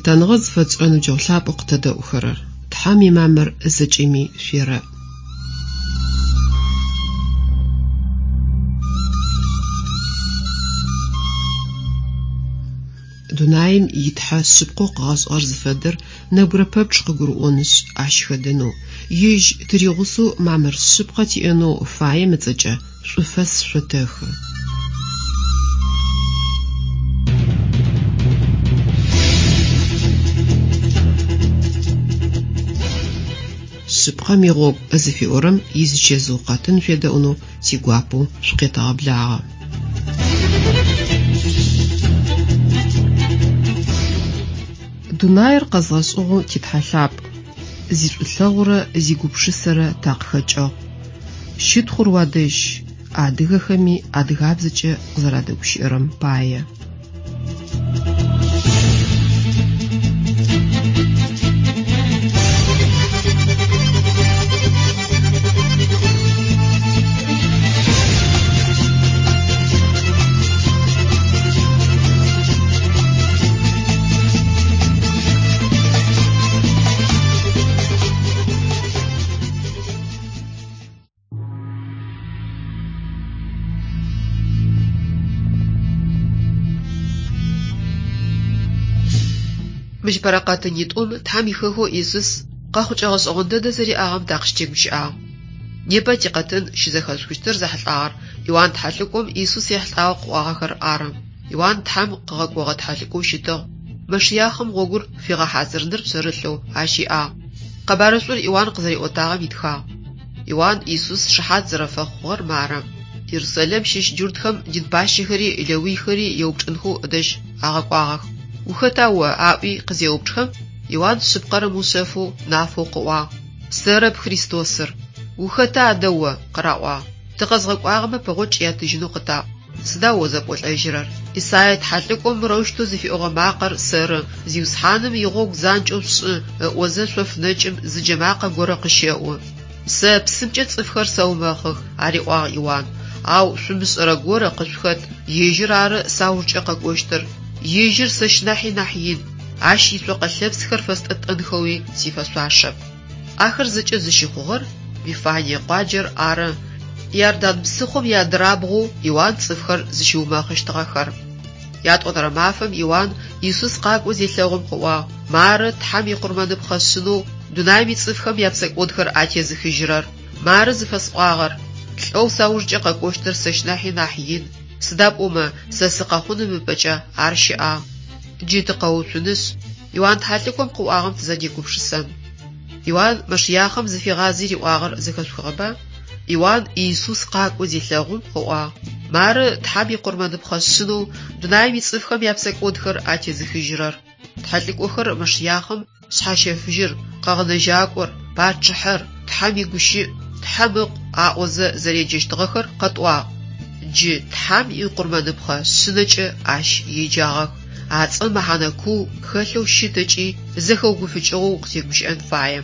Лъытэныгъэ зыфэтшӏырэ ныбджэгъу лъапӏэу къытэдэӏухэрэр! Тхьэм имамыр зэкӏэми шъуерэӏ. Дунаим и Тхьэ шъыпкъэу къыгъэшӏыгъэр зыфэдэр нэбгырэ пэпчъ къыгурыӏонышъ, ащ хэдэнэу, Ежь тыригъусэу мамыр шъыпкъэ тиӏэнэу фаем ыцӏэкӏэ шӏуфэс шъотэхы. Шъыпкъэм игъогу зыфиӏорэм изычэзыу къэтын шъуедэӏунэу тигуапэу шъукъетэгъэблагъэ. Дунаир къэзгъэшӏыгъэу ти Тхьэ лъапӏ, зишӏулъэгъурэ зигупшысэрэ такъыхэкӏыгъ. Щытхъур уадэжь, адыгэхэми адыгабзэкӏэ къызэрадэгущыӏэрэм пае. Мыщ бэрэкъэтынитӏум Тхьэм ихэхэу Исус къэхъукӏэ гъэшӏэгъон дэдэ зэриӏагъэм такъыщытегущыӏагъ. Непэ тикъэтын щызэхэшъухыщтыр зэхьылӏагъэр Иуан тхьэлӏыкӏом Исус ехьылӏагъэу къыӏуагъэхэр ары. Иуан Тхьэм къыгъэкӏогъэ тхьэлӏыкӏоу щытыгъ. Мэшыяхъым гъогур фигъэхьазырыныр пшъэрылъэу ащ иӏагъ. Къэбарышӏур Иуан къызэриӏотагъэм итхагъ. Иуан Исус шыхьат зэрэфэхъугъэр мары. Ерусалим щыщ джуртхэм дин пащэхэри лэуйхэри еупчӏынхэу ыдэжь агъэкӏуагъэх. Ухэта о? аӏуи къызеупчӏхэм, Иуан шъыпкъэр ымыушъэфэу нафэу къыӏуагъ. Сэрэп Христосыр. Ухэта адэ о? къыраӏуагъ. Тыкъэзгъэкӏуагъэмэ пэгъокӏ яттыжьынэу къытаӏу. Сыда о зэпӏолӏэжьырэр? Исае тхьэлӏыкӏом мырэущтэу зыфиӏогъэ макъэр сэры, Зиусхьаным игъогу занкӏэу шъушӏы, ыӏозэ шъоф нэкӏым зы джэмакъэ горэ къыщэӏу. Сэ псымкӏэ цӏыфхэр сэумэхъых, ариӏуагъ Иуан, ау шъумышӏэрэ горэ къышъухэт, ежьыр ары саужкӏэ къэкӏощтыр. Ежьыр сэщ нахьи нахь ин, ащ ицокъэ лъэпсхэр фэстӏэтӏэнхэуи сифэшъуашэп. Ахэр зэкӏэ зыщыхъугъэр Вифание къуаджэр ары, Иордан псыхъом иадырабгъоу Иуан цӏыфхэр зыщиумэхъыщтыгъэхэр. Ятӏонэрэ мафэм Иуан Исус къакӏоу зелъэгъум къыӏуагъ, Мары Тхьэм икъурмэныпхъэ шъынэу дунаим ицӏыфхэм япсэкӏодхэр атезыхыжьырэр. Мары зыфэсӏуагъэр, Лӏэу саужкӏэ къэкӏощтыр сэщ нахьи нахь ин, сыда пӏомэ сэ сыкъэхъуным ыпэкӏэ ар щыӏагъ. Джы тыкъэуцунышъ, Иуан тхьэлӏыкӏом къыӏуагъэм тызэдегупшысэн. Иуан Мэшыяхъым зыфигъази риӏуагъэр зэхэшъухыгъэба? Иуан Иисус къакӏоу зелъэгъум, къыӏуагъ, Мары Тхьэм икъурмэныпхъэ шъынэу дунаим ицӏыфхэм япсэкӏодхэр атезыхыжьырэр. Тхьэлӏыкӏохэр Мэшыяхъым Шъхьащэфыжьыр, Къэгъэнэжьакӏор, Пачъыхьэр, Тхьэм игущыӏ, Тхьэм Ыкъу аӏозэ зэреджэщтыгъэхэр къэтӏуагъ. Джы Тхьэм икъурмэныпхъэ шъынэкӏэ ащ еджагъэх. А цӏэм мэхьанэ куу хэлъэу щыт ыкӏи зэхэугуфыкӏыгъэу укъытегущыӏэн фае.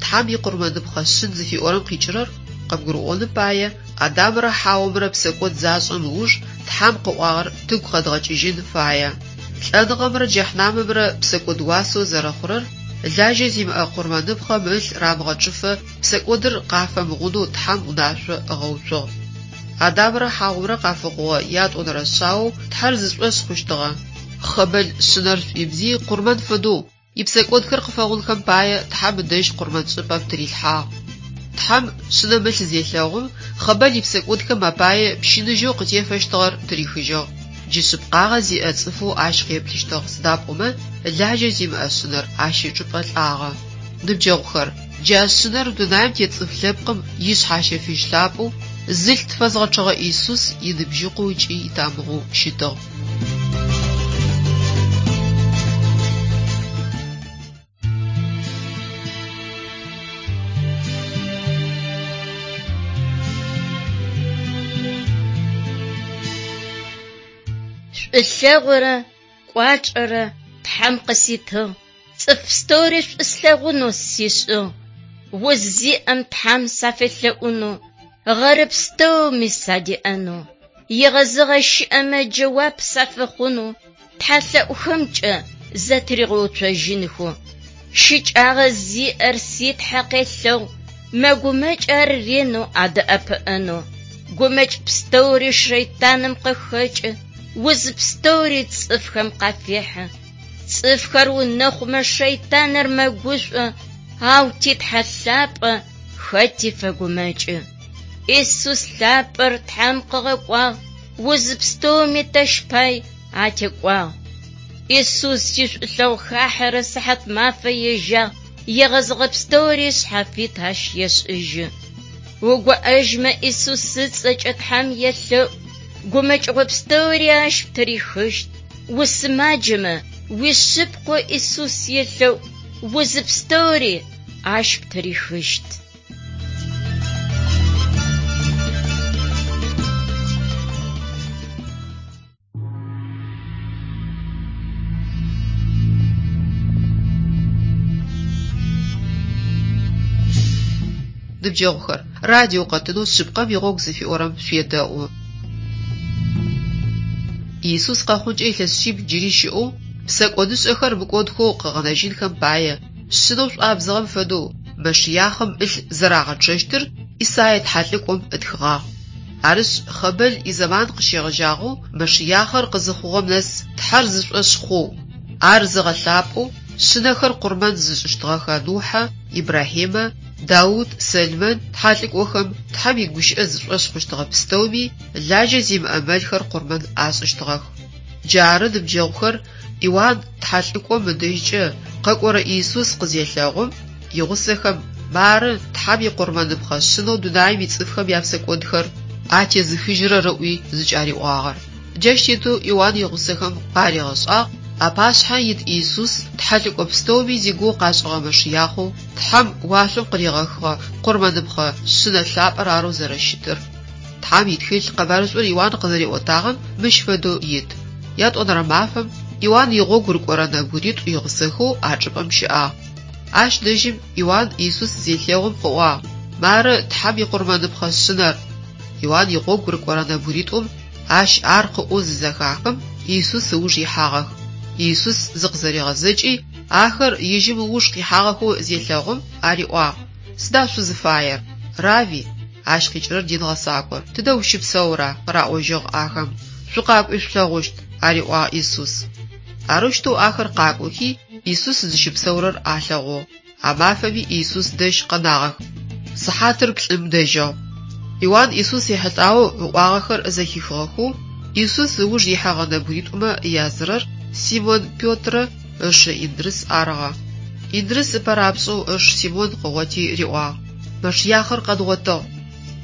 Тхьэм икъурмэныпхъэ шъын зыфиӏорэм къикӏырэр къыбгурыӏоным пае Адамрэ Хьаомрэ псэкӏод зашӏэм ыуж Тхьэм къыӏуагъэр тыгу къэдгъэкӏыжьын фае. Лӏэныгъэмрэ джэхьнамымрэ псэкӏод уасэу зэрэхъурэр, лажьэ зимыӏэ къурмэныпхъэм ылъ рамыгъэчъыфэ псэкӏодыр къафэмыгъунэу Тхьэм унашъо ыгъэуцугъ. Адамрэ Хьаомрэ къафэхъугъэ ятӏонэрэ шъаоу Тхьэр зышӏошъ хъущтыгъэ. Хъэбэл шъынэр шӏуибзи къурмэн фэдэу, ипсэкӏодхэр къыфэгъунхэм пае Тхьэм ыдэжь къурмэншӏыпӏэм тырилъхьагъ. Тхьэм шъынэм ылъ зелъэгъум, Хъэбэл ипсэкӏодхэм апае пщыныжьэу къытефэщтыгъэр тырихыжьыгъ. Джы шъыпкъагъэ зиӏэ цӏыфэу ащ къеплъыщтыгъ, сыда пӏомэ лажьэ зимыӏэ шъынэр ащ ычӏыпӏэ лӏагъэ. Ныбджэгъухэр, джа шъынэр дунаим тет цӏыф лъэпкъым ишъхьащэфыжь лъапӏэу, зылъ тфэзгъэчъэгъэ Исус иныбжьыкъоу ыкӏи итамыгъэу щытыгъ. Шӏулъэгъурэ кӏуачӏэрэ Тхьэм къыситыгъ, цӏыф пстэури шӏу слъэгъунэу сишӏыгъ. Уз зиӏэм Тхьэм сафелъэӏунэу, гъэры пстэуми садеӏэнэу, егъэзыгъэ щыӏэмэ джэуап сафэхъунэу, тхьэлъэӏухэмкӏэ зэтыригъэуцожьынхэу. Щыкӏагъэ зиӏэр си Тхьэ къелъэгъу, мэгумэкӏ ар ренэу адэӏэпыӏэнэу. Гумэкӏ пстэури шэйтаным къыхэкӏы, уз пстэури цӏыфхэм къафехьы. Цӏыфхэр унэхъумэ шэйтаныр мэгушӏо, ау ти Тхьэ лъапӏэ хэти фэгумэкӏы. Исус лъапӏэр Тхьэм къыгъэкӏуагъ, уз пстэуми тэщ пай атекӏуагъ. Исус ишӏулъэгъу хахьэрэ сыхьат мафэ ежьагъ, егъэзыгъэ пстэури шъхьафит ащ ешӏыжьы. Угоӏэжьмэ Исус ыцӏэкӏэ Тхьэм елъэӏу, гумэкӏыгъо пстэури ащ птырихыщт. Усымаджэмэ уишъыпкъэу Исус елъэӏу, уз пстэури ащ птырихыщт. Ныбджэгъухэр, радио къэтынэу Шъыпкъэм игъогу зыфиӏорэм шъуедэӏу. Иисус къэхъункӏэ илъэс шъибл джыри щыӏэу, псэкӏодышӏэхэр мыкӏодхэу къыгъэнэжьынхэм пае, шъынэу шӏуабзыгъэм фэдэу Мэшыяхъым ылъ зэрагъэчъэщтыр Исае тхьэлӏыкӏом ытхыгъагъ. Арышъ, Хъабэл изэман къыщегъэжьагъэу Мэшыяхъэр къызыхъугъэм нэс Тхьэр зышӏошъ хъоу, ар зыгъэлъапӏэу, шъынэхэр къурмэн зышӏыщтыгъэхэ Нухьэ, Ибрахьимэ, Даут, Сэлмэн тхьэлӏыкӏохэм Тхьэм игущыӏэ зышӏошъ хъущтыгъэ пстэуми лажьэ зимыӏэ мэлхэр къурмэн ашӏыщтыгъэх. Джары, ныбджэгъухэр, Иуан тхьэлӏыкӏом ыдэжькӏэ къэкӏорэ Иисус къызелъэгъум, игъусэхэм «Мары, Тхьэм икъурмэныпхъэ шъынэу дунаим ицӏыфхэм япсэкӏодхэр атезыхыжьырэр» ыӏуи зыкӏариӏуагъэр. Джащ тетэу Иуан игъусэхэм къаригъэшӏагъ апашъхьэ ит Иисус тхьэлӏыкӏо пстэуми зигугъу къашӏыгъэ Мэшыяхъэу Тхьэм уашъом къыригъэхыгъэ къурмэныпхъэ шъынэ лъапӏэр арэу зэрэщытыр. Тхьэм итхылъ къэбарышӏур Иуан къызэриӏотагъэм мыщ фэдэу ит. Ятӏонэрэ мафэм Иуан игъогу рыкӏорэ нэбгыритӏу игъусэхэу а чӏыпӏэм щыӏагъ. Ащ дэжьым Иуан Иисус зелъэгъум къыӏуагъ: «Мары Тхьэм икъурмэныпхъэ шъынэр». Иуан игъогу рыкӏорэ нэбгыритӏум ащ ар къыӏоу зызэхахым, Иисус ыуж ихьагъэх. Иисус зыкъызэригъэзэкӏи, ахэр ежьым ыуж къихьагъэхэу зелъэгъум, ариӏуагъ: Сыда шъузыфаер? Рави, ащ къикӏырэр дин гъэсакӏо, тыдэ ущыпсэура? къыраӏожьыгъ ахэм. Шъукъакӏуи шъулъэгъущт, ариӏуагъ Иисус. Арэущтэу ахэр къакӏохи, Иисус зыщыпсэурэр алъэгъугъ. А мафэми Иисус дэжь къэнагъэх. Сыхьатыр плӏым дэжьыгъ. Иуан Иисус ехьылӏагъэу ыӏуагъэхэр зэхихыгъэхэу, Иисус ыуж ихьэгъэ нэбгыритӏумэ язырэр Симон Петрэ ышы Индрыс арыгъэ. Индрыс ыпэ рапшӏэу ыш Симон къыгъоти риӏуагъ: Мэшыяхъыр къэдгъотыгъ.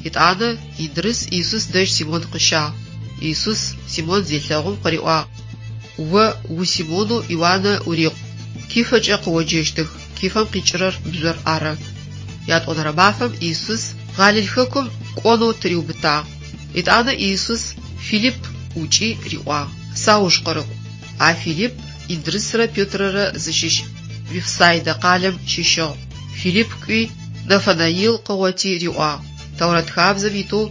Етӏанэ Индрыс Иисус дэжь Симон къыщагъ. Иисус Симон зелъэгъум къыриӏуагъ: О у-Симонэу Иуанэ урикъу. Кифэкӏэ къыоджэщтых, Кифэм къикӏырэр бжъор ары. Ятӏонэрэ мафэм Иисус Галил хэкум кӏонэу тыриубытагъ. Етӏанэ Иисус Филипп ӏукӏи риӏуагъ: Сауж къырыкӏу. А Филипп Индрысрэ Петрэрэ зыщыщ Вифсайдэ къалэм щыщыгъ. Филипп кӏуи, Нафанаил къыгъоти риӏуагъ: Тэурэт хабзэм итэу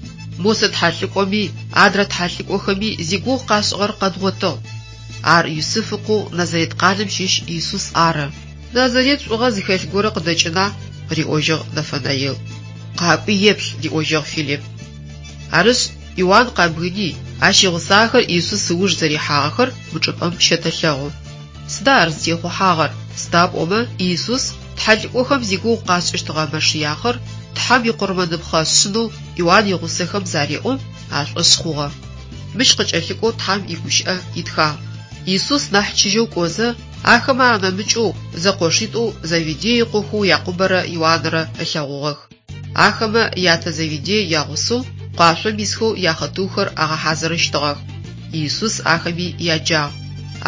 Мосэ тхьэлӏыкӏоми, адрэ тхьэлӏыкӏохэми зигугъу къашӏыгъэр къэдгъотыгъ. Ар Юсыф ыкъоу Назарет къалэм щыщ Иисус ары. Назарет шӏугъэ зыхэлъ горэ къыдэкӏына? Къыриӏожьыгъ Нафанаил. Къакӏуи еплъ, риӏожьыгъ Филипп. Арышъ, Иуан къабгыни, ащ игъусагъэхэр Иисус ыуж зэрихьагъэхэр мы чӏыпӏэм щэтэлъэгъу. Сыда ар зытехъухьагъэр? Сыда пӏомэ Иисус тхьэлӏыкӏохэм зигугъу къашӏыщтыгъэ Мэшыяхъыр Тхьэм икъурмэныпхъэ шъынэу Иуан игъусэхэм зареӏом, ашӏошъ хъугъэ. Мыщ къыкӏэлъыкӏоу Тхьэм игущыӏэ итхагъ. Иисус нахь чыжьэу кӏозэ, ахэмэ анэмыкӏэу зэкъошитӏоу Заведей ыкъохэу Якъубэрэ Иуанрэ ылъэгъугъэх. Ахэмэ ятэ Заведей ягъусэу къуашъом исхэу яхъытыухэр агъэхьазырыщтыгъэх. Иисус ахэми яджагъ.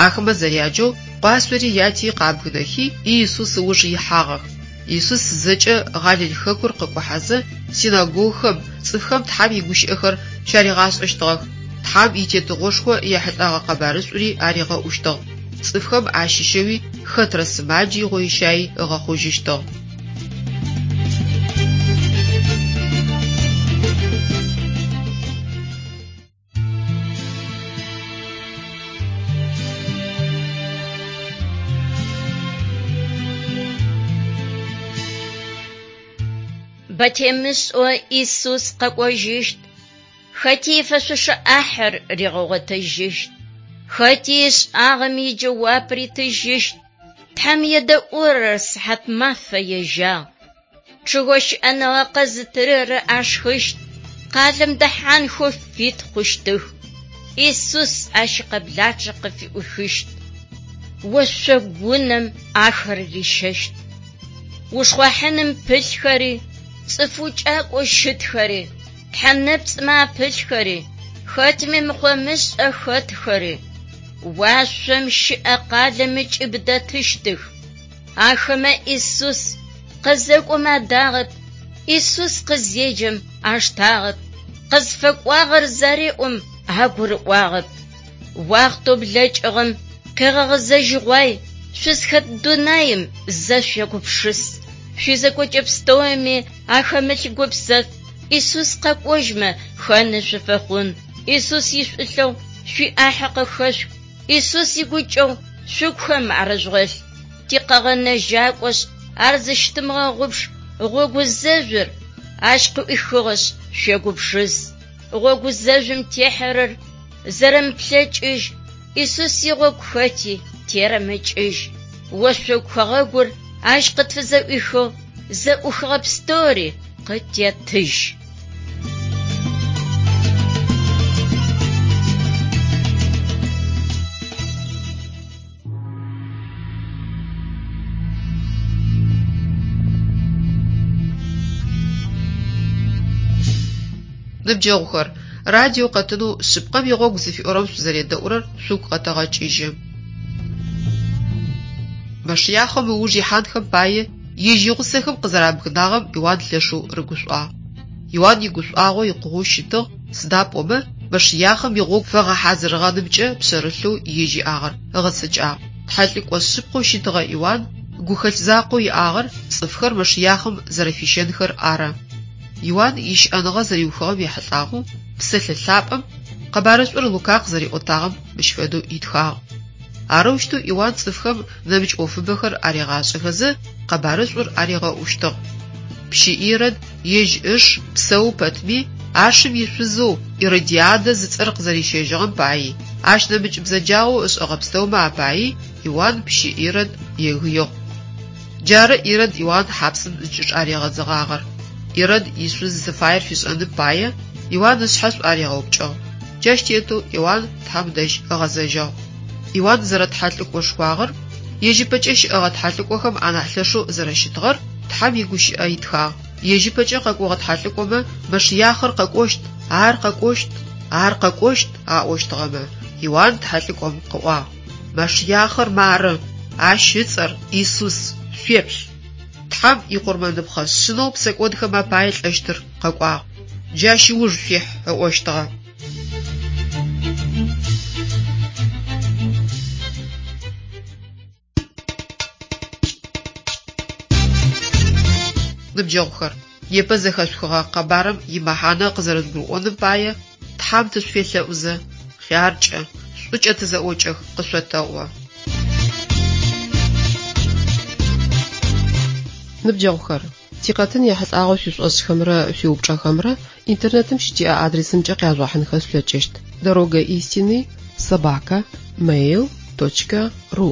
Ахэмэ зэряджэу къуашъори яти къабгынэхи, Иисус ыуж ихьагъэх. Иисус зэкӏэ Галил хэкур къыкӏухьэзэ, синагогхэм цӏыфхэм Тхьэм игущыӏэхэр щаригъашӏэщтыгъэх, Тхьэм и Тетыгъошхо ехьылӏэгъэ къэбарышӏури аригъэӏущтыгъ. Цӏыфхэм ащыщэуи хэтрэ сымаджи гъойщаи ыгъэхъужьыщтыгъ. Бэ темышӏэу Исус къэкӏожьыщт, хэти ифэшъошэ ӏахьыр ригъэгъотыжьыщт, хэти ышӏагъэм иджэуап ритыжьыщт. Тхьэм едэӏурэр сыхьат мафэ ежьагъ. Чъыгэу щыӏэныгъэ къэзытырэр ашхыщт, къалэм дэхьанхэу фит хъущтых. Исус ащ икъэблачъэ къыфыӏуихыщт. Ошъогунэм ахэр рищэщт. Ушхъуахьыным пылъхэри, цӏыф укӏакӏоу щытхэри, тхьэ нэпцӏмэ апылъхэри, хэтми мыхъо-мышӏэ хэтхэри, уашъом щыӏэ къалэм ыкӏыб дэтыщтых. Ахэмэ Исус къызэкӏом адагъэп, Исус къызеджэм аштагъэп, къызфэкӏуагъэр зареӏом агурыӏуагъэп. Уахътэу блэкӏыгъэм къегъэгъэзэжьыгъуай, шъузхэт дунаим зэ шъуегупшыс. Шъуизекӏокӏэ пстэуми ахэмылъ гупсэф Исус къэкӏожьмэ хэны шъуфэхъун. Исус ишӏулъэгъу шъуиӏахьэ къыхэшъух, Исус игукӏэгъу шъугухэм арыжъугъэлъ. Тикъэгъэнэжьакӏошъ, ар зыщытымыгъэгъупш, гъогу зэжъур ащ къыӏуихыгъэшъ, шъуегупшыс. Гъогу зэжъум техьэрэр зэрэмыплъэкӏыжь, Исус игъогу хэти терэмыкӏыжь. Ошъогу хэгъэгур ащ къытфызэӏуихыгъ, зэӏухыгъэ пстэури къытетыжь. Ныбджэгъухэр, радио къэтынэу Шъыпкъэм игъогу зыфиӏорэм шъузэредэӏурэр шъугу къэтэгъэкӏыжьы. Мэшыяхъэм ыуж ихьанхэм пае ежь игъусэхэм къызэрабгынагъэм Иуан лъэшэу рыгушӏуагъ. Иуан игушӏуагъо икъугъэу щытыгъ, сыда пӏомэ Мэшыяхъэм игъогу фэгъэхьазырыгъэнымкӏэ пшъэрылъэу ежь иӏагъэр ыгъэцэкӏагъ. Тхьэлӏыкӏо шъыпкъэу щытыгъэ Иуан гухэлъ закъоу иӏагъэр цӏыфхэр Мэшыяхъэм зэрэфищэнхэр ары. Иуан ищыӏэныгъэ зэриухыгъэм ехьылӏагъэу Псэлъэ Лъапӏэм къэбарышӏур Лука къызэриӏотагъэм мыщ фэдэу итхагъ. Арэущтэу Иуан цӏыфхэм нэмыкӏ ӏофыбэхэр аригъашӏэхэзэ, къэбарышӏур аригъэӏущтыгъ. Пщы Ирод ежь ыш псэу пэтми, ашым ишъузэу Иродиадэ зыцӏэр къызэрищэжьыгъэм паи, ащ нэмыкӏ бзэджагъэу ышӏэгъэ пстэумэ апаи Иуан пщы Ирод егыигъ. Джары Ирод Иуан хьапсым зыкӏычӏаригъэдзыгъагъэр. Ирод ишъуз зыфаер фишӏэным пае, Иуан ышъхьэ шӏуаригъэупкӏыгъ. Джащ тетэу Иуан Тхьэм дэжь ыгъэзэжьыгъ. Иуан зэрэтхьэлӏыкӏошхуагъэр, ежь ыпэкӏэ щыӏэгъэ тхьэлӏыкӏохэм анахь лъэшэу зэрэщытыгъэр Тхьэм игущыӏэ итхагъ. Ежь ыпэкӏэ къэкӏогъэ тхьэлӏыкӏомэ Мэшыяхъыр къэкӏощт, ар къэкӏощт, ар къэкӏощт аӏощтыгъэмэ, Иуан тхьэлӏыкӏом къыӏуагъ. Мэшыяхъыр мары, ащ ыцӏэр Исус, шъуеплъ. Тхьэм икъурмэныпхъэ шъынэу псэкӏодхэм апае лӏэщтыр къэкӏуагъ. Джащ ыуж шъуихь, ыӏощтыгъэ. Ныбджэгъухэр, непэ зэхэшъухыгъэ къэбарым имэхьанэ къызэрэдгурыӏоным пае Тхьэм тышъуфелъэӏузэ, хъяркӏэ, шӏукӏэ тызэӏокӏэх къышъотэӏо. Ныбджэгъухэр, тикъэтын ехьылӏагъэу шъуишӏошӏхэмрэ шъуиупчӏэхэмрэ интернетым щытиӏэ адресымкӏэ къяжъугъэхьынхэ шъулъэкӏыщт: Дорога истины собака mail точка ру.